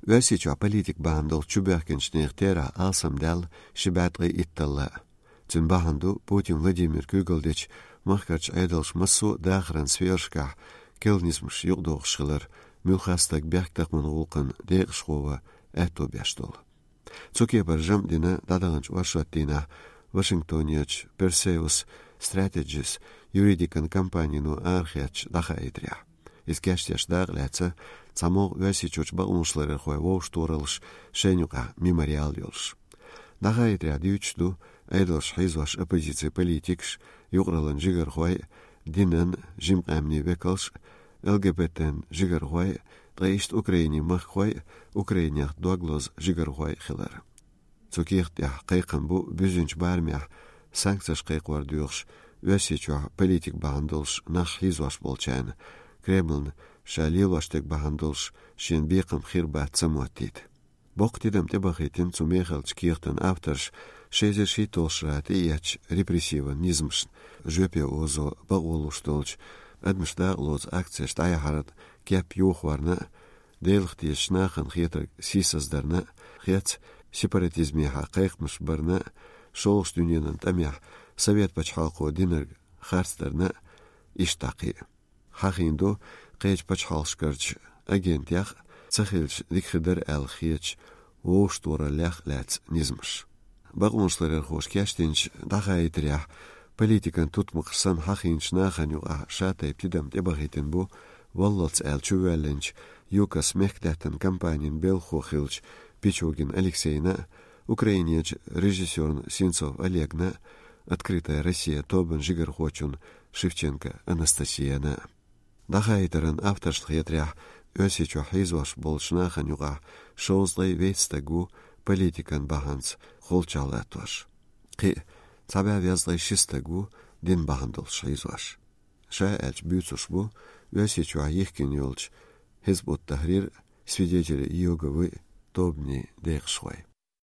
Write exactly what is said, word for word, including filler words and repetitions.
Оьрсийчохь политик бахьана долу чубоьхкинчу нехан терахь алсамдаьлла ши бӀе ткъе итталла. Цуьнан бахьана ду Путин Владимир куьйгалла дечу махкарчу Ӏедалша массо а дахаран сферашкахь керла низамаш юкъадохуш хилар, муьлхха стаг бехктакхаман гӀуллакхан декъашхо ван аьтто беш долу. Цу кепара жамӀ дина дӀадаханчу оршот дийнахь Вашингтонерчу Perseus Strategies юридикан компанино арахецначу дӀахаийтарехь. Иза кечдеш дакъа лаьцна цхьа могӀа Оьрсийчуьрчу бакъонашларъярхойн вовшахтохараллаш шайна юкъахь мемориал йолуш. ДӀахаийтарехь дуьйцуш ду Ӏедалш хьийзош оппозицин политикаш, юкъараллин жигархой, динан, жима къаьмнийн векалш, Л Г Б Т-н жигархой, ткъа иштта Украинин махкахой, Украинех дог лозу жигархой хилар. Цу кехат тӀехь кхайкхам бу буьззинчу барамехь санкцеш кхайкхор доьхуш, Оьрсийчохь политик бахьана долуш нах хьийзош болчарна, Кремлна ша лелош дерг бахьана долуш шена бекхам хир бац ца моттийта. Боккха тидам тӀебахийтина цу мехалчу кехатан авторш ши эзар шийтталгӀачу шарахь тӀеэцначу репрессиван низамашна, жоьпе озо бакъо луш долчу адамаш дакъалоцу акцеш дӀаяхьаран кеп йохорна а, Делах тешачу нахана хетарг сийсаздарна а, хец сепаратизмехьа кхайкхамаш барна а, шолгӀачу дуьненан тӀамехь Совет пачхьалкхо динарг харцдарна а, иштта дӀа кхин а. Хьахийна ду кхечу пачхьалкхашкарчу агентех а, ца хилча дика хир дара аьлла хетачу вовшахтохараллех а лаьцна низамаш. Бакъонашларъярхоша кечдинчу дӀахаийтарехь политикан тутмакхаш санна хьахийначу нахана юкъахь шатайпа тидам тӀебахийтина бу валлалц аьлла чувоьллинчу ЮКОС мехкдаьттан компанин белхахо хиллачу Пичугин Алексейна а, Украинерчу режиссёрна Сенцов Олегна а, «Открытая Россия» тобан жигархочунна Шевченко Анастасияна а. ДӀахаийтаран авторшна хетарехь, Оьрсийчохь хьийзош болчу нахана юкъахь шовзткъе вейтта стаг ву политикан бахьанца холчахь латтош. Кхин а цхьа бӀе везткъе ши стаг ву дин бахьана долуш хьийзош. Ша аьлча буьйцуш бу Оьрсийчохь йихкина йолчу Хизб ут-Тахьрир а, Свидетели Иеговы а тобанийн декъашхой.